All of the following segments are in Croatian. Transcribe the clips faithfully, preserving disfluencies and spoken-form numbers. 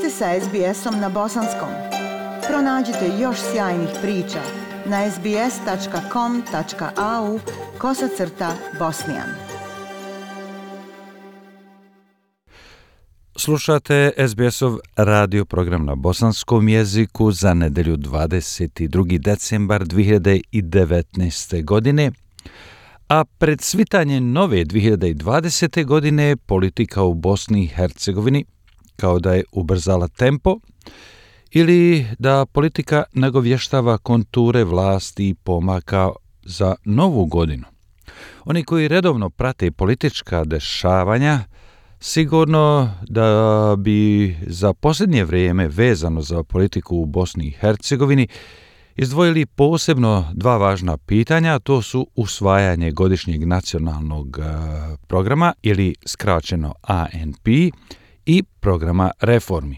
ste sa es be esom na bosanskom. Pronađite još sjajnih priča na es be es tačka com tačka a u kosacrta bosnijan. Slušate es be esov radio program na bosanskom jeziku za nedelju dvadeset drugi decembar dve hiljade devetnaeste. godine, a pred svitanje nove dve hiljade dvadesete. godine politika u Bosni i Hercegovini kao da je ubrzala tempo ili da politika nagovještava konture vlasti i pomaka za novu godinu. Oni koji redovno prate politička dešavanja sigurno da bi za posljednje vrijeme vezano za politiku u Bosni i Hercegovini izdvojili posebno dva važna pitanja, a to su usvajanje godišnjeg nacionalnog programa ili skraćeno A N P i programa reformi.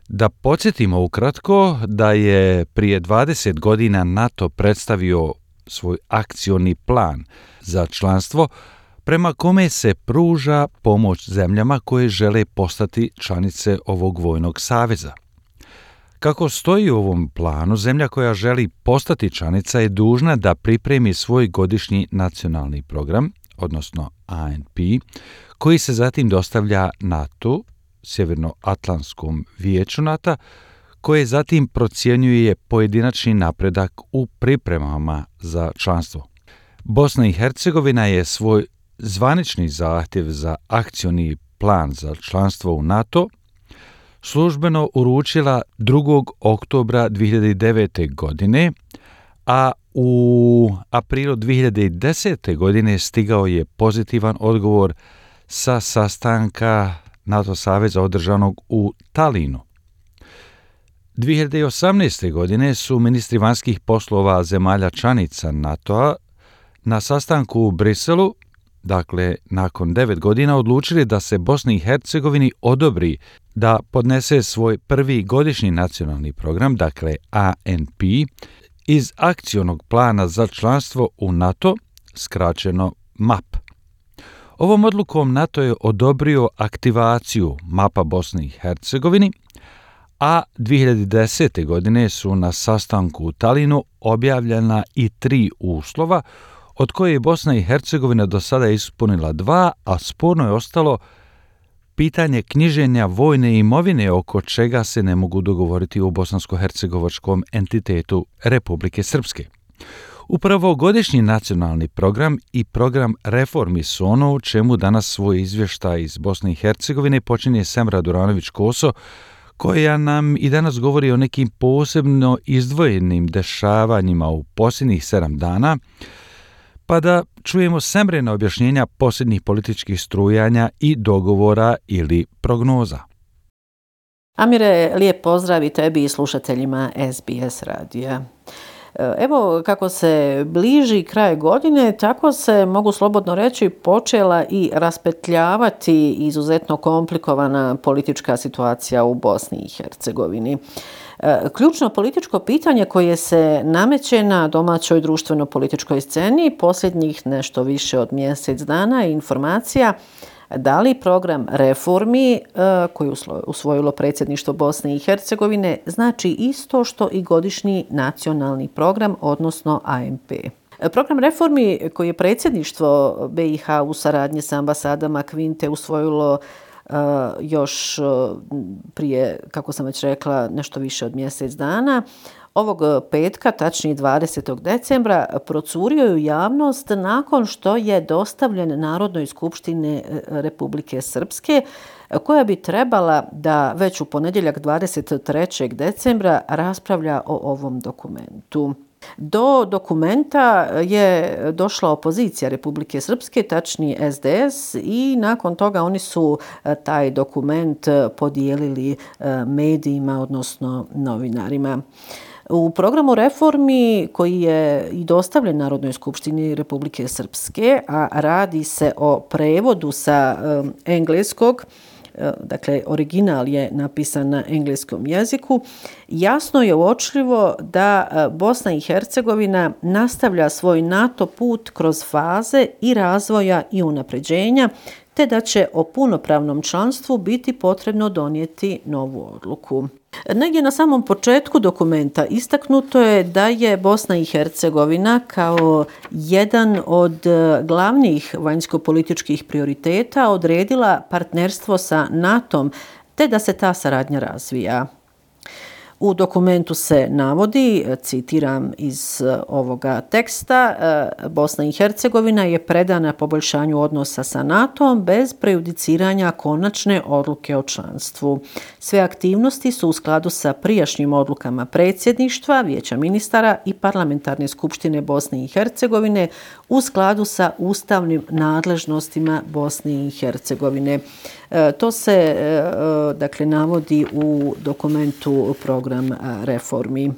Da podsjetimo ukratko da je prije dvadeset godina NATO predstavio svoj akcioni plan za članstvo prema kome se pruža pomoć zemljama koje žele postati članice ovog vojnog saveza. Kako stoji u ovom planu, zemlja koja želi postati članica je dužna da pripremi svoj godišnji nacionalni program, odnosno A N P, koji se zatim dostavlja NATO, Sjevernoatlantskom vijeću NATO, koje zatim procjenjuje pojedinačni napredak u pripremama za članstvo. Bosna i Hercegovina je svoj zvanični zahtjev za akcioni plan za članstvo u NATO službeno uručila drugog oktobra dve hiljade devete. godine, a u aprilu dve hiljade desete. godine stigao je pozitivan odgovor sa sastanka NATO saveza održanog u Talinu. dve hiljade osamnaeste. godine su ministri vanjskih poslova zemalja članica NATO-a na sastanku u Briselu, dakle nakon devet godina, odlučili da se Bosni i Hercegovini odobri da podnese svoj prvi godišnji nacionalni program, dakle A N P, iz akcionog plana za članstvo u NATO, skraćeno M A P. Ovom odlukom NATO je odobrio aktivaciju mapa Bosne i Hercegovini, a dve hiljade desete. godine su na sastanku u Talinu objavljena i tri uslova, od koje je Bosna i Hercegovina do sada ispunila dva, a sporno je ostalo pitanje knjiženja vojne imovine, oko čega se ne mogu dogovoriti u bosansko-hercegovačkom entitetu Republike Srpske. Upravo godišnji nacionalni program i program reformi su ono u čemu danas svoj izvještaj iz Bosne i Hercegovine počinje Semra Duranović-Koso, koja nam i danas govori o nekim posebno izdvojenim dešavanjima u posljednjih sedam dana, pa da čujemo Semrina objašnjenja posljednjih političkih strujanja i dogovora ili prognoza. Amire, lijep pozdrav i tebi i slušateljima es be es radija. Evo, kako se bliži kraj godine, tako se, mogu slobodno reći, počela i raspetljavati izuzetno komplikovana politička situacija u Bosni i Hercegovini. Ključno političko pitanje koje se nameće na domaćoj društveno-političkoj sceni posljednjih nešto više od mjesec dana je informacija da li program reformi koji je usvojilo predsjedništvo Bosne i Hercegovine znači isto što i godišnji nacionalni program, odnosno A N P. Program reformi koji je predsjedništvo be i ha u saradnji sa ambasadama Kvinte usvojilo Uh, još uh, prije, kako sam već rekla, nešto više od mjesec dana, ovog petka, tačnije dvadesetog decembra, procurio je u javnost nakon što je dostavljen Narodnoj skupštini Republike Srpske, koja bi trebala da već u ponedjeljak dvadeset trećeg decembra raspravlja o ovom dokumentu. Do dokumenta je došla opozicija Republike Srpske, tačnije es de es, i nakon toga oni su taj dokument podijelili medijima, odnosno novinarima. U programu reformi koji je i dostavljen Narodnoj skupštini Republike Srpske, a radi se o prevodu sa engleskog, dakle original je napisan na engleskom jeziku, jasno je uočljivo da Bosna i Hercegovina nastavlja svoj NATO put kroz faze i razvoja i unapređenja, te te da će o punopravnom članstvu biti potrebno donijeti novu odluku. Negdje na samom početku dokumenta istaknuto je da je Bosna i Hercegovina kao jedan od glavnih vanjsko-političkih prioriteta odredila partnerstvo sa natom, te da se ta saradnja razvija. U dokumentu se navodi, citiram iz ovoga teksta, Bosna i Hercegovina je predana poboljšanju odnosa sa natom bez prejudiciranja konačne odluke o članstvu. Sve aktivnosti su u skladu sa prijašnjim odlukama predsjedništva, Vijeća ministara i Parlamentarne skupštine Bosne i Hercegovine u skladu sa ustavnim nadležnostima Bosne i Hercegovine. To se dakle navodi u dokumentu program reformi.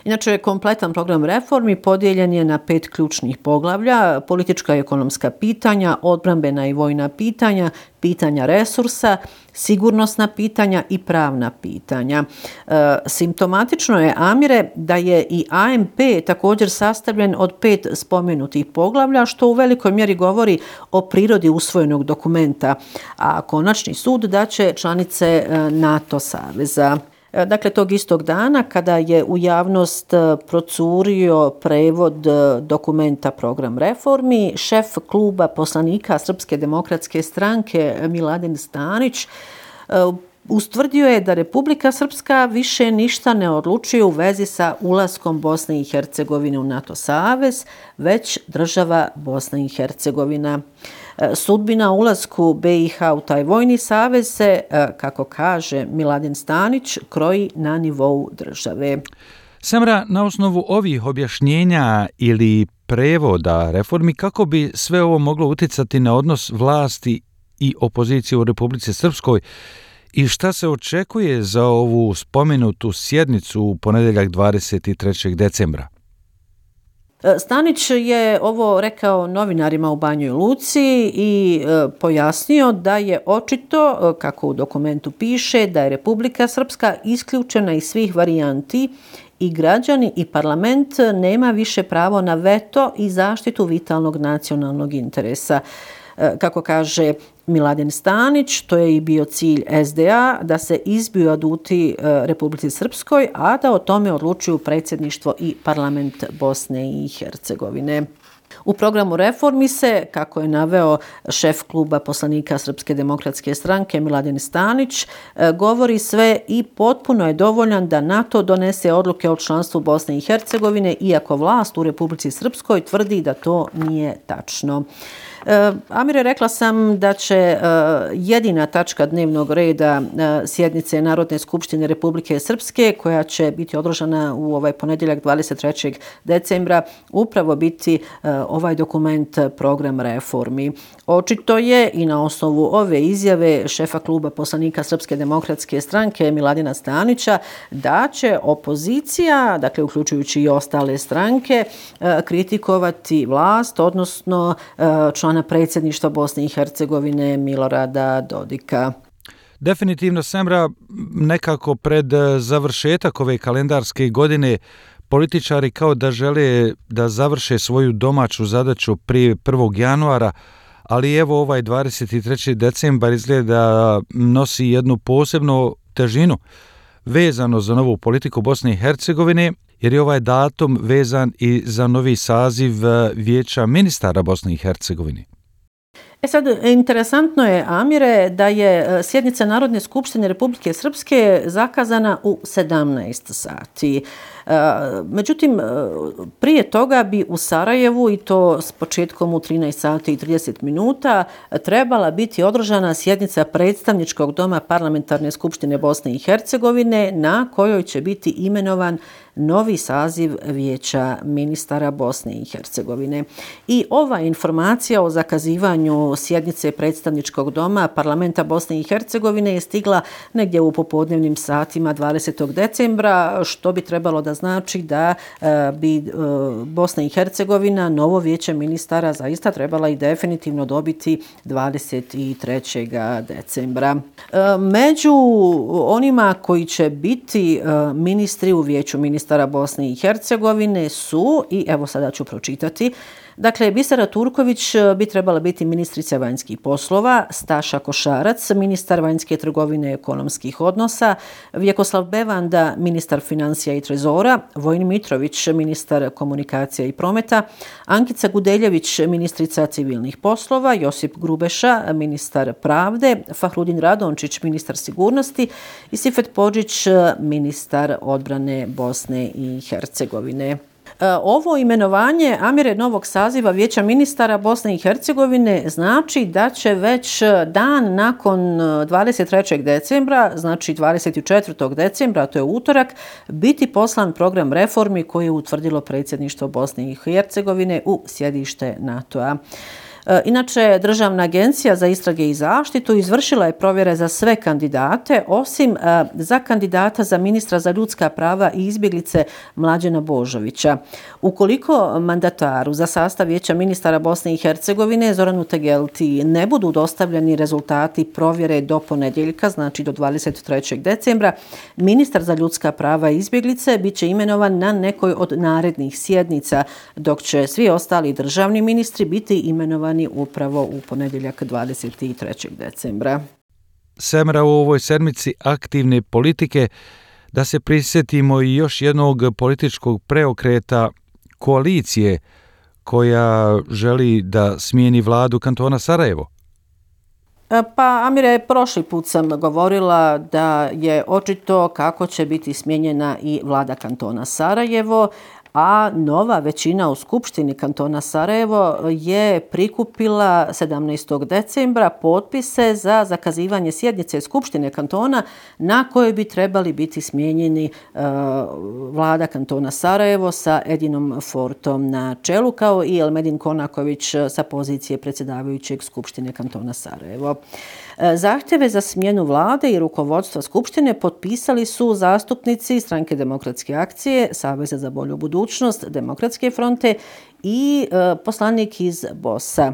Inače, kompletan program reformi podijeljen je na pet ključnih poglavlja: politička i ekonomska pitanja, odbrambena i vojna pitanja, pitanja resursa, sigurnosna pitanja i pravna pitanja. E, simptomatično je, Amire, da je i A M P također sastavljen od pet spomenutih poglavlja, što u velikoj mjeri govori o prirodi usvojenog dokumenta, a konačni sud daće članice NATO saveza. Dakle, tog istog dana kada je u javnost procurio prevod dokumenta program reformi, šef kluba poslanika Srpske demokratske stranke Miladin Stanić ustvrdio je da Republika Srpska više ništa ne odlučuje u vezi sa ulaskom Bosne i Hercegovine u NATO savez, već država Bosna i Hercegovina. Sudbina ulasku B i H u taj vojni savez se, kako kaže Miladin Stanić, kroji na nivou države. Samra, na osnovu ovih objašnjenja ili prevoda reformi, kako bi sve ovo moglo utjecati na odnos vlasti i opozicije u Republici Srpskoj i šta se očekuje za ovu spomenutu sjednicu u ponedjeljak dvadeset trećeg decembra? Stanić je ovo rekao novinarima u Banjoj Luci i e, pojasnio da je očito, kako u dokumentu piše, da je Republika Srpska isključena iz svih varijanti i građani i parlament nema više pravo na veto i zaštitu vitalnog nacionalnog interesa. E, kako kaže Miladin Stanić, to je i bio cilj S D A, da se izbiju aduti Republici Srpskoj, a da o tome odlučuju predsjedništvo i parlament Bosne i Hercegovine. U programu reformi se, kako je naveo šef kluba poslanika Srpske demokratske stranke Miladin Stanić, govori sve i potpuno je dovoljan da NATO donese odluke o članstvu Bosne i Hercegovine, iako vlast u Republici Srpskoj tvrdi da to nije tačno. Amire, rekla sam da će jedina tačka dnevnog reda sjednice Narodne skupštine Republike Srpske, koja će biti održana u ovaj ponedjeljak dvadeset trećeg decembra, upravo biti ovaj dokument program reformi. Očito je i na osnovu ove izjave šefa kluba poslanika Srpske demokratske stranke Miladina Stanića da će opozicija, dakle uključujući i ostale stranke, kritikovati vlast, odnosno člana predsjedništva Bosne i Hercegovine Milorada Dodika. Definitivno, Semra, nekako pred završetak ove kalendarske godine političari kao da žele da završe svoju domaću zadaću prije prvog januara, ali evo ovaj dvadeset treći decembar izgleda nosi jednu posebnu težinu vezano za novu politiku Bosne i Hercegovine, jer je ovaj datum vezan i za novi saziv Vijeća ministara Bosne i Hercegovine. E sad, interesantno je, Amire, da je sjednica Narodne skupštine Republike Srpske zakazana u sedamnaest sati. Međutim, prije toga bi u Sarajevu, i to s početkom u trinaest sati i trideset minuta, trebala biti održana sjednica predstavničkog doma Parlamentarne skupštine Bosne i Hercegovine, na kojoj će biti imenovan novi saziv Vijeća ministara Bosne i Hercegovine. I ova informacija o zakazivanju sjednice predstavničkog doma Parlamenta Bosne i Hercegovine je stigla negdje u popodnevnim satima dvadesetog decembra, što bi trebalo da znači da bi Bosna i Hercegovina novo Vijeće ministara zaista trebala i definitivno dobiti dvadeset trećeg decembra. Među onima koji će biti ministri u Vijeću ministara Bosne i Hercegovine su, i evo sada ću pročitati, Dakle, Bisera Turković bi trebala biti ministrica vanjskih poslova, Staša Košarac, ministar vanjske trgovine i ekonomskih odnosa, Vjekoslav Bevanda, ministar financija i trezora, Vojin Mitrović, ministar komunikacija i prometa, Ankica Gudeljević, ministrica civilnih poslova, Josip Grubeša, ministar pravde, Fahrudin Radončić, ministar sigurnosti i Sifet Podžić, ministar odbrane Bosne i Hercegovine. Ovo imenovanje, Amire, novog saziva Vijeća ministara Bosne i Hercegovine znači da će već dan nakon dvadeset trećeg decembra, znači dvadeset četvrtog decembra, to je utorak, biti poslan program reformi koji je utvrdilo predsjedništvo Bosne i Hercegovine u sjedište NATO-a. Inače, Državna agencija za istrage i zaštitu izvršila je provjere za sve kandidate, osim za kandidata za ministra za ljudska prava i izbjeglice Mlađena Božovića. Ukoliko mandataru za sastav Vijeća ministara Bosne i Hercegovine Zoranu Tegelti ne budu dostavljeni rezultati provjere do ponedjeljka, znači do dvadeset trećeg decembra, ministar za ljudska prava i izbjeglice bit će imenovan na nekoj od narednih sjednica, dok će svi ostali državni ministri biti imenovani upravo u ponedjeljak dvadeset trećeg decembra. Semra, u ovoj sedmici aktivne politike, da se prisjetimo i još jednog političkog preokreta koalicije koja želi da smijeni vladu kantona Sarajevo. Pa, Amire, prošli put sam govorila da je očito kako će biti smijenjena i vlada kantona Sarajevo, a nova većina u Skupštini kantona Sarajevo je prikupila sedamnaestog decembra potpise za zakazivanje sjednice Skupštine kantona na kojoj bi trebali biti smijenjeni e, vlada kantona Sarajevo sa Edinom Fortom na čelu, kao i Elmedin Konaković sa pozicije predsjedavajućeg Skupštine kantona Sarajevo. Zahtjeve za smjenu vlade i rukovodstva Skupštine potpisali su zastupnici Stranke demokratske akcije, Saveza za bolju budućnost, Demokratske fronte i e, poslanik iz BOS-a.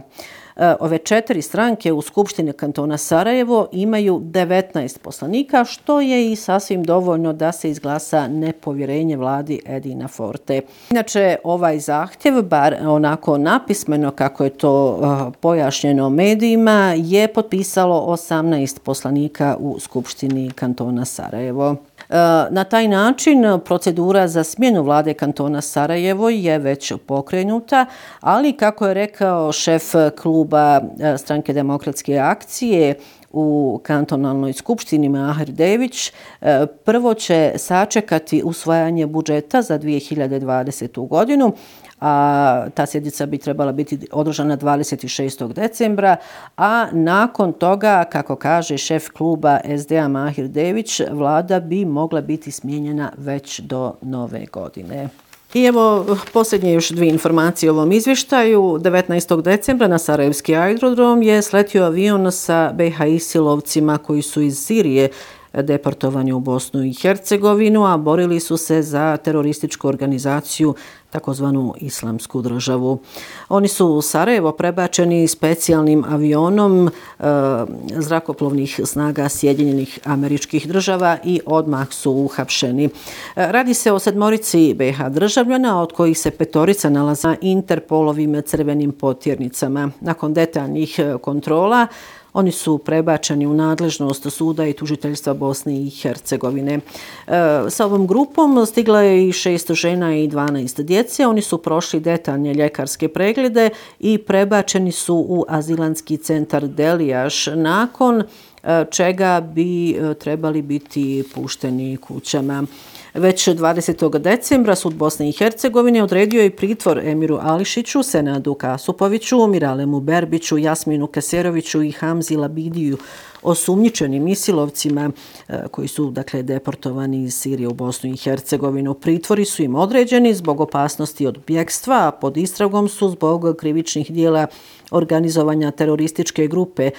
Ove četiri stranke u Skupštini kantona Sarajevo imaju devetnaest poslanika, što je i sasvim dovoljno da se izglasa nepovjerenje vladi Edina Forte. Inače, ovaj zahtjev, bar onako napismeno kako je to uh, pojašnjeno medijima, je potpisalo osamnaest poslanika u Skupštini kantona Sarajevo. Na taj način procedura za smjenu vlade kantona Sarajevo je već pokrenuta, ali kako je rekao šef kluba Stranke demokratske akcije u kantonalnoj skupštini Mahir Dević, prvo će sačekati usvajanje budžeta za dvije hiljade dvadesetu godinu, a ta sjednica bi trebala biti održana dvadeset šestog decembra, a nakon toga, kako kaže šef kluba es de a Mahir Dević, vlada bi mogla biti smijenjena već do nove godine. I evo, posljednje još dvije informacije o ovom izvještaju. devetnaestog decembra na Sarajevski aerodrom je sletio avion sa be ha isilovcima koji su iz Sirije deportovani u Bosnu i Hercegovinu, a borili su se za terorističku organizaciju, takozvanu Islamsku državu. Oni su u Sarajevo prebačeni specijalnim avionom e, zrakoplovnih snaga Sjedinjenih Američkih Država i odmah su uhapšeni. E, radi se o sedmorici be ha državljana, od kojih se petorica nalaze na Interpolovim crvenim potjernicama. Nakon detaljnih kontrola oni su prebačeni u nadležnost suda i tužiteljstva Bosne i Hercegovine. E, sa ovom grupom stigla je i šest žena i dvanaest djece. Oni su prošli detaljne ljekarske preglede i prebačeni su u azilanski centar Delijaš, nakon čega bi trebali biti pušteni kućama. Već dvadesetog decembra sud Bosne i Hercegovine odredio je pritvor Emiru Ališiću, Senadu Kasupoviću, Miralemu Berbiću, Jasminu Keseroviću i Hamzi Labidiju, osumnjičenim isilovcima koji su dakle deportovani iz Sirije u Bosnu i Hercegovinu. Pritvori su im određeni zbog opasnosti od bjegstva, a pod istragom su zbog krivičnih dijela organizovanja terorističke grupe,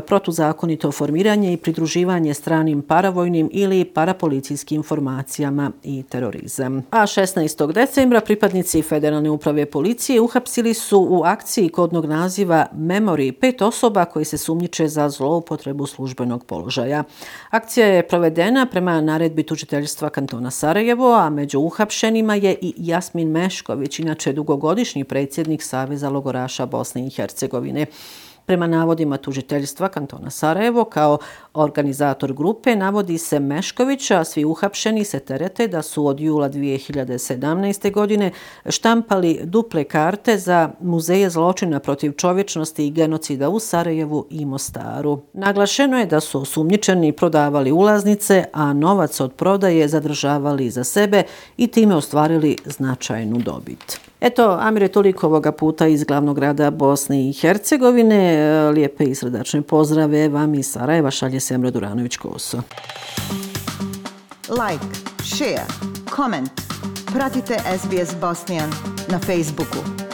protuzakonito formiranje i pridruživanje stranim paravojnim ili parapolicijskim formacijama i terorizam. A šesnaestog decembra pripadnici Federalne uprave policije uhapsili su u akciji kodnog naziva Memory pet osoba koji se sumnjiče za zloupotrebu službenog položaja. Akcija je provedena prema naredbi tužiteljstva kantona Sarajevo, a među uhapšenima je i Jasmin Mešković, inače dugogodišnji predsjednik Saveza logoraša Bosne i Hercegovine. Prema navodima tužiteljstva kantona Sarajevo, kao organizator grupe navodi se Mešković, a svi uhapšeni se terete da su od jula dvije hiljade sedamnaeste. godine štampali duple karte za muzeje zločina protiv čovječnosti i genocida u Sarajevu i Mostaru. Naglašeno je da su osumnjičeni prodavali ulaznice, a novac od prodaje zadržavali za sebe i time ostvarili značajnu dobit. Eto, Amire, toliko ovoga puta iz glavnog grada Bosne i Hercegovine. Lijepe i srdačne pozdrave vam iz Sarajeva šalje Semra Duranović-Koso. Like, share, comment. Pratite S B S Bosnian na Facebooku.